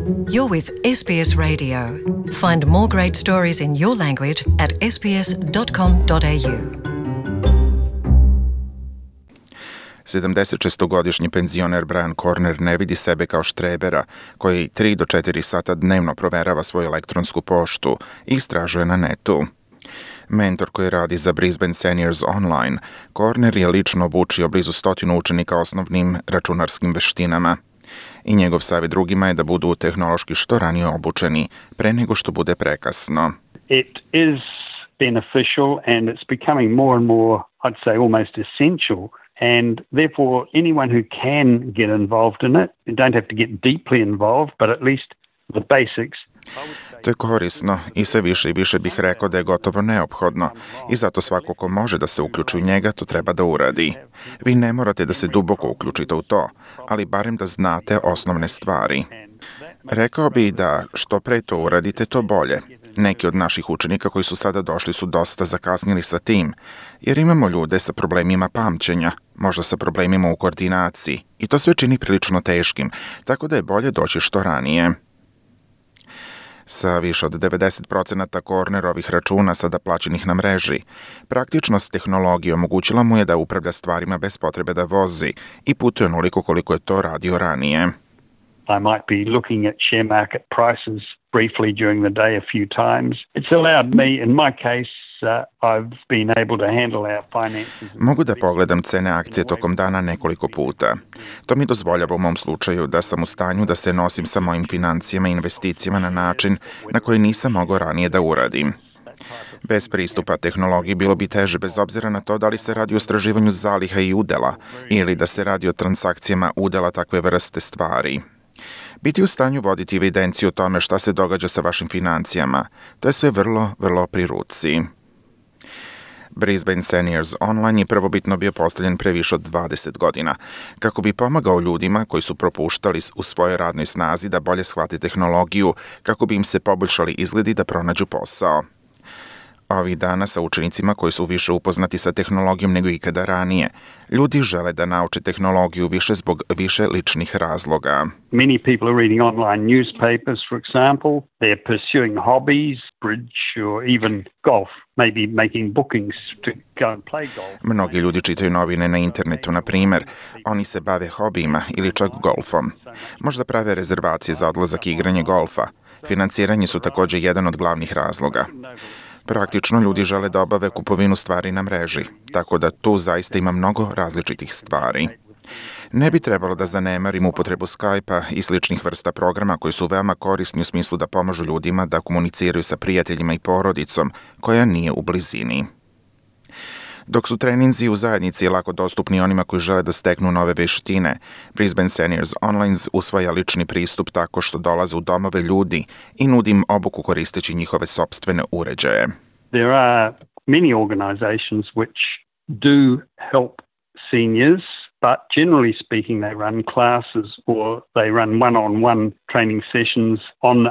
You're with SBS Radio. Find more great stories in your language at sbs.com.au. 76-godišnji penzioner Brian Corner ne vidi sebe kao štrebera koji 3 do 4 sata dnevno proverava svoju elektronsku poštu i istražuje na netu. Mentor koji radi za Brisbane Seniors Online, Corner je lično obučio blizu 100 učenika osnovnim računarskim veštinama. I njegov savjet drugima je da budu tehnološki što ranije obučeni, pre nego što bude prekasno. It is beneficial and it's becoming more and more, I'd say, almost essential. And therefore, anyone who can get involved in it, you don't have to get deeply involved, but at least the basics. To je korisno i sve više i više bih rekao da je gotovo neophodno i zato svako ko može da se uključi u njega to treba da uradi. Vi ne morate da se duboko uključite u to, ali barem da znate osnovne stvari. Rekao bih da što pre to uradite, to bolje. Neki od naših učenika koji su sada došli su dosta zakasnili sa tim, jer imamo ljude sa problemima pamćenja, možda sa problemima u koordinaciji i to sve čini prilično teškim, tako da je bolje doći što ranije. Sa više od 90% Cornerovih računa sada plaćenih na mreži, praktičnost tehnologije omogućila mu je da upravlja stvarima bez potrebe da vozi i putuje onoliko koliko je to radio ranije. I might be looking at share market prices briefly during the day a few times. It's allowed me, in my case, I've been able to handle our finances. Mogu da pogledam cene akcije tokom dana nekoliko puta. To mi dozvoljava u mom slučaju da sam u stanju da se nosim sa mojim financijama i investicijama na način na koji nisam mogao ranije da uradim. Bez pristupa tehnologiji bilo bi teže bez obzira na to da li se radi o istraživanju zaliha i udela ili da se radi o transakcijama udela takve vrste stvari. Biti u stanju voditi evidenciju o tome šta se događa sa vašim financijama, to je sve vrlo pri ruci. Brisbane Seniors Online je prvobitno bio postavljen pre više od 20 godina, kako bi pomagao ljudima koji su propuštali u svojoj radnoj snazi da bolje shvate tehnologiju, kako bi im se poboljšali izgledi da pronađu posao. Ovih dana sa učenicima koji su više upoznati sa tehnologijom nego ikada ranije, ljudi žele da nauče tehnologiju više zbog više ličnih razloga. Many people are reading online newspapers, for example. They're pursuing hobbies, bridge or even golf, maybe making bookings to go and play golf. Mnogi ljudi čitaju novine na internetu, na primjer. Oni se bave hobijima ili čak golfom. Možda prave rezervacije za odlazak i igranje golfa. Financiranje su također jedan od glavnih razloga. Praktično ljudi žele da obave kupovinu stvari na mreži, tako da tu zaista ima mnogo različitih stvari. Ne bi trebalo da zanemarimo upotrebu Skype-a i sličnih vrsta programa koji su veoma korisni u smislu da pomažu ljudima da komuniciraju sa prijateljima i porodicom koja nije u blizini. Dok su treninzi u zajednici lako dostupni onima koji žele da steknu nove veštine, Brisbane Seniors Online usvaja lični pristup tako što dolaze u domove ljudi i nudi im obuku koristeći njihove sopstvene uređaje. There are many organizations which do help seniors, but generally speaking they run classes or they run one-on-one training sessions on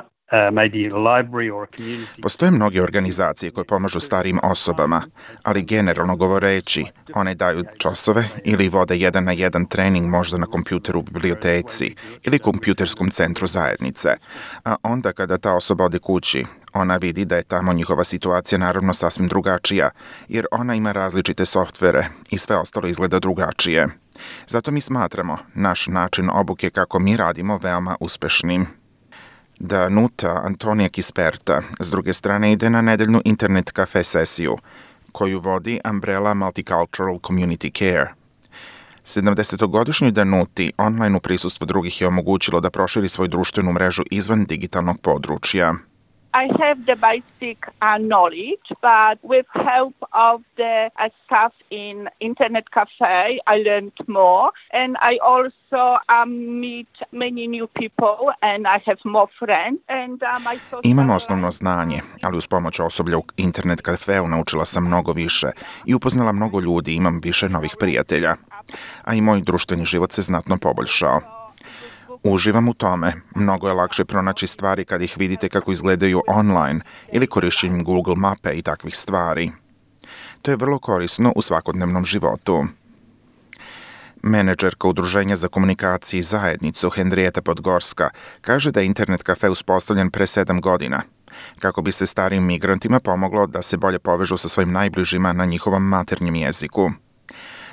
maybe a library or a community. Postoje mnoge organizacije koje pomažu starijim osobama, ali generalno govoreći, one daju časove ili vode 1-na-1 trening možda na kompjuteru u biblioteci ili kompjuterskom centru zajednice. A onda kada ta osoba ode kući, ona vidi da je tamo njihova situacija naravno sasvim drugačija, jer ona ima različite softvere i sve ostalo izgleda drugačije. Zato mi smatramo naš način obuke kako mi radimo veoma uspešnim. Danuta Antonija Kisperta s druge strane ide na nedeljnu internet kafe sesiju, koju vodi Umbrella Multicultural Community Care. 70-godišnjoj Danuti online u prisustvu drugih je omogućilo da proširi svoju društvenu mrežu izvan digitalnog područja. I have the basic knowledge, but with help of the staff in Internet Cafe, I learned more, and I also meet many new people, and I have more friends. And Imam osnovno znanje, ali uz pomoć osoblja u Internet Cafeu naučila sam mnogo više i upoznala mnogo ljudi, imam više novih prijatelja, a i moj društveni život se znatno poboljšao. Uživam u tome. Mnogo je lakše pronaći stvari kad ih vidite kako izgledaju online ili korišćenjem Google mape i takvih stvari. To je vrlo korisno u svakodnevnom životu. Menadžerka Udruženja za komunikaciju i zajednicu Henrieta Podgorska kaže da je internet kafe uspostavljen pre 7 godina, kako bi se starijim migrantima pomoglo da se bolje povežu sa svojim najbližima na njihovom maternjem jeziku.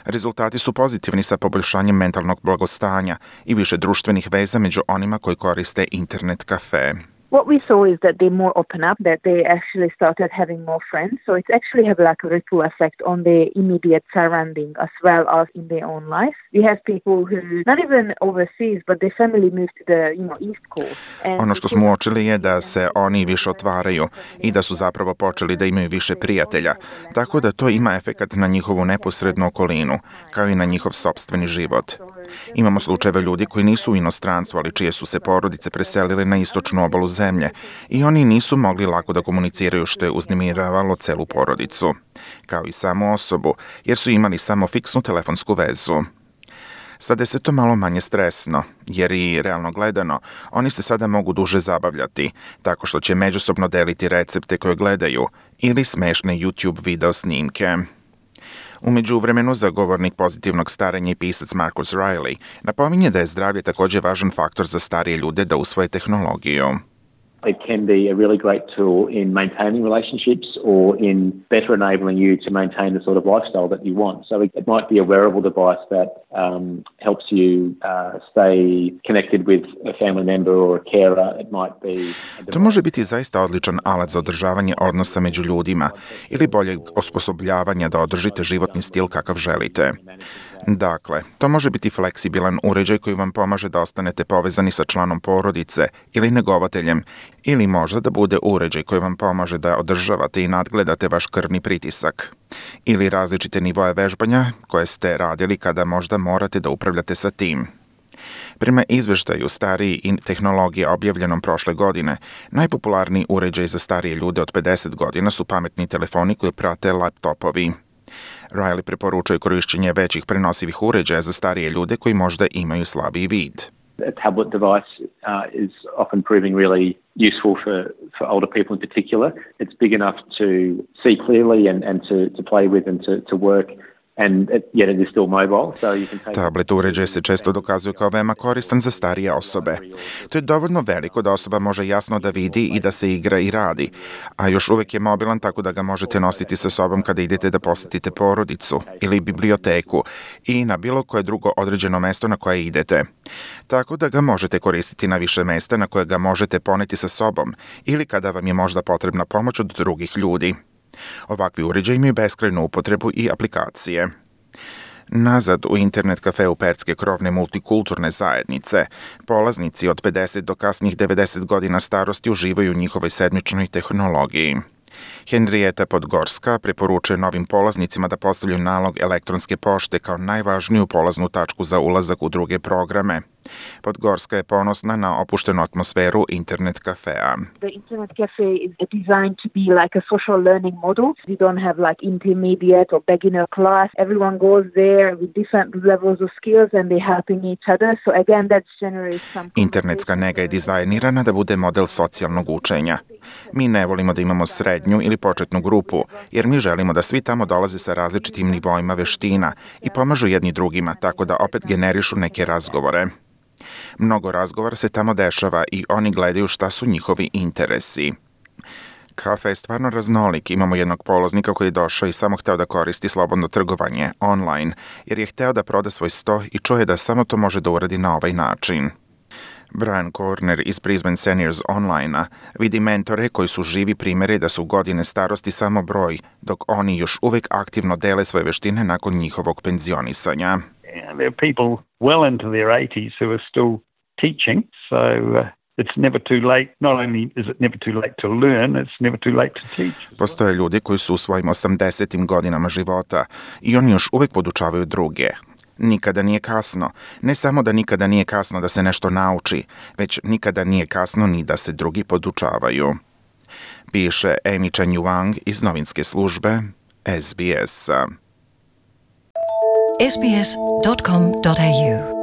Rezultati su pozitivni sa poboljšanjem mentalnog blagostanja i više društvenih veza među onima koji koriste internet kafe. What we saw is that they more open up, that they actually started having more friends. So it's actually have like a ripple effect on the immediate surrounding as well as in their own life. We have people who, not even overseas, but their family moved to the East Coast. Ono što smo uočili je da se oni više otvaraju i da su zapravo počeli da imaju više prijatelja, tako da to ima efekat na njihovu neposrednu okolinu, kao i na njihov sopstveni život. Imamo slučajeve ljudi koji nisu u inostranstvu, ali čije su se porodice preselile na istočnu obalu zemlje i oni nisu mogli lako da komuniciraju, što je uznemiravalo celu porodicu, kao i samu osobu, jer su imali samo fiksnu telefonsku vezu. Sada je sve to malo manje stresno, jer i realno gledano, oni se sada mogu duže zabavljati, tako što će međusobno deliti recepte koje gledaju ili smešne YouTube video snimke. U međuvremenu, zagovornik pozitivnog starenja i pisac Marcus Riley napominje da je zdravlje također važan faktor za starije ljude da usvoje tehnologiju. It can be a really great tool in maintaining relationships or in better enabling you to maintain the sort of lifestyle that you want. So it might be a wearable device that helps you stay connected with a family member or a carer. It might be To može biti zaista odličan alat za održavanje odnosa među ljudima ili boljeg osposobljavanja da održite životni stil kakav želite. Dakle, to može biti fleksibilan uređaj koji vam pomaže da ostanete povezani sa članom porodice ili negovateljem, ili možda da bude uređaj koji vam pomaže da održavate i nadgledate vaš krvni pritisak, ili različite nivoe vežbanja koje ste radili kada možda morate da upravljate sa tim. Prema izveštaju stariji i tehnologije objavljenom prošle godine, najpopularniji uređaj za starije ljude od 50 godina su pametni telefoni koji prate laptopovi. Riley preporučuje korišćenje većih prenosivih uređaja za starije ljude koji možda imaju slabiji vid. A tablet device is often proving really useful for older people in particular. It's big enough to see clearly and to play with and to work. And yet it is still mobile, so you can take... Tablet uređaj se često dokazuje kao veoma koristan za starije osobe. To je dovoljno veliko da osoba može jasno da vidi i da se igra i radi, a još uvijek je mobilan tako da ga možete nositi sa sobom kada idete da posjetite porodicu ili biblioteku i na bilo koje drugo određeno mesto na koje idete. Tako da ga možete koristiti na više mesta na koje ga možete poneti sa sobom ili kada vam je možda potrebna pomoć od drugih ljudi. Ovakvi uređaji imaju beskrajnu upotrebu i aplikacije. Nazad u internet kafeu Pertske krovne multikulturne zajednice, polaznici od 50 do kasnih 90 godina starosti uživaju u njihovoj sedmičnoj tehnologiji. Henrieta Podgorska preporučuje novim polaznicima da postavljaju nalog elektronske pošte kao najvažniju polaznu tačku za ulazak u druge programe. Podgorska je ponosna na opuštenu atmosferu internet kafea. The internet cafe is designed to be like a social learning model. We don't have like intermediate or beginner class. Everyone goes there with different levels of skills and they're helping each other. So again, that generates some... Internetska nega je dizajnirana da bude model socijalnog učenja. Mi ne volimo da imamo srednju ili početnu grupu, jer mi želimo da svi tamo dolaze sa različitim nivoima veština i pomažu jedni drugima, tako da opet generišu neke razgovore. Mnogo razgovora se tamo dešava i oni gledaju šta su njihovi interesi. Kafe je stvarno raznolik. Imamo jednog polaznika koji je došao i samo hteo da koristi slobodno trgovanje online, jer je hteo da proda svoj sto i čuje da samo to može da uradi na ovaj način. Brian Corner iz Brisbane Seniors Online-a vidi mentore koji su živi primjeri da su godine starosti samo broj, dok oni još uvijek aktivno dele svoje veštine nakon njihovog penzionisanja. There are people well into their 80s who are still teaching, so it's never too late. Not only is it never too late to learn, it's never too late to teach. Postoje ljudi koji su u svojim 80. godinama života i oni još uvijek podučavaju druge. Nikada nije kasno. Ne samo da nikada nije kasno da se nešto nauči, već nikada nije kasno ni da se drugi podučavaju. Piše Amy Chen Yuang iz novinske službe SBS-a. sbs.com.au